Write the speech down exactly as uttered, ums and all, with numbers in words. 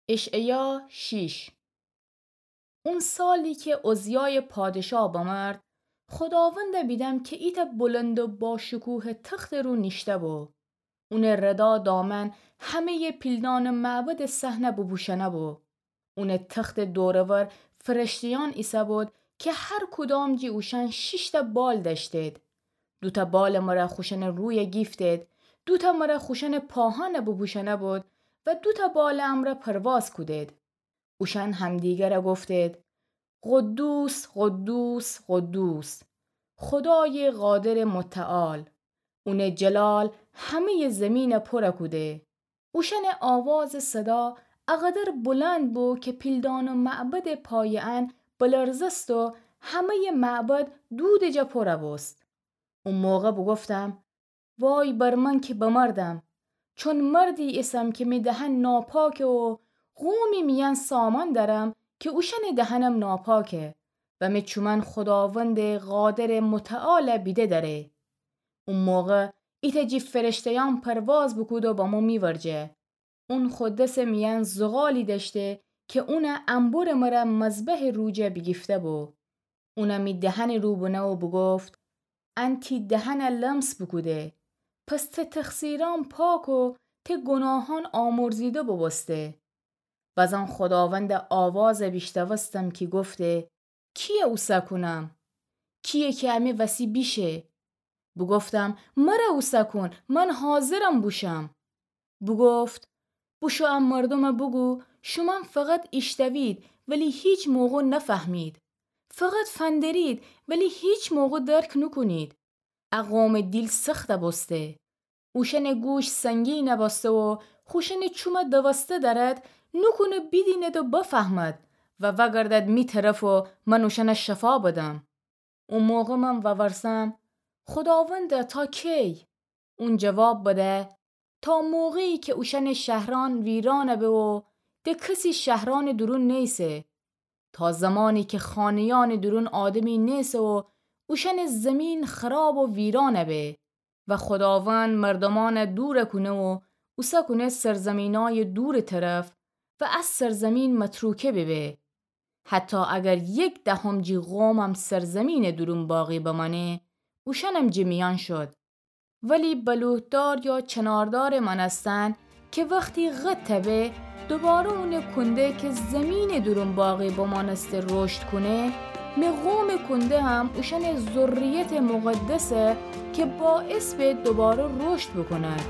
اشعیا شیش. اون سالی که عزیای پادشاه بمرد، خوداوند بیدم که ایتأ بلند و باشکوه تخت رو نیشته بو. اون ردا دامن همهٔ پیلدان معبد صحنه بوپوشنه بو. اون تخت دورور فرشته‌یان ایسه بود که هر کدام جی اوشن شیشتأ بال دأشتید. دوتأ بال مره خوشن روی گیفتید، دوتأ مره خوشن پاهان بوپوشنه بود و دوتأ بال امره پرواز کودید. اوشن همدیگره گفتید: قدوس، قدوس، قدوس، خدای قادر متعال، اون جلال همهٔ زمین پره کوده. اوشن آواز صدا اقدر بلند بو که پیلدان و معبد پای ان بلرزست و همهٔ معبد دود جا پره بوست. او موقع بوگفتم: وای بر من که بمردم، چون مردی ایسم که می دهن ناپاکه و قومی میأن سامان دأرم که اوشن دهنم ناپاکه و می چومن خداوند قادر متعال بیده دأره. او موقع ایتأ جی فرشته‌یان پرواز بوکود و بمو می ورجه. اون خو دس میأن زغالی دأشته که اون انبر مره مذبح رو جا بیگیفته بو. اون می دهن رو بنه و بوگفت: ان تی دهن لمس بوکوده، پس ته تقصیران پاک و ته گناهان آمرزیده بوبوسته. بزان خداوند آواز بیشنوستم که گفته: کیه اوسه کونم؟ کیه که امی وسی بیشه؟ بوگفتم: مره اوسه کون، من حاضرم بوشم. بوگفت: بوشو ا مردومه بوگو، شومأن فقط ایشتوید، ولی هیچ موقع نفهمید. فقط فندرید، ولی هیچ موقع درک نوکونید. ا قوم دیل سخت بوسته. اوشأن گوش سنگین بوسته و خوشأن چوم دوسته دأرد، نوکونه بیدیند و بفهمد و وأگردد می طرف و من اوشأن شفا بدم. او موقع من وورسم: خداوندا، تا کی؟ اون جواب بده: تا موقعی که اوشأن شهرأن ویران به و د کسی شهرأن دورون نیسه، تا زمانی که خانه‌یأن دورون آدمی نیسه و اوشأن زمین خراب و ویران به و خداوند مردومأن دور کونه و اوسه کونه سرزمینای دور طرف و از سرزمین متروکه ببه. حتی اگر یک دهم جی قومم سرزمین دورون باقی بمأنه، اوشأنم جی میأن شد. ولی بلوط‌دار یا چناردار مأنستن که وقتی قطع به، دوباره اون کنده که زمین دورون باقی بمأنسته رشد کونه، می قوم کنده هم اوشأن ذریت مقدسه که باعث به دوباره رشد بوکونن.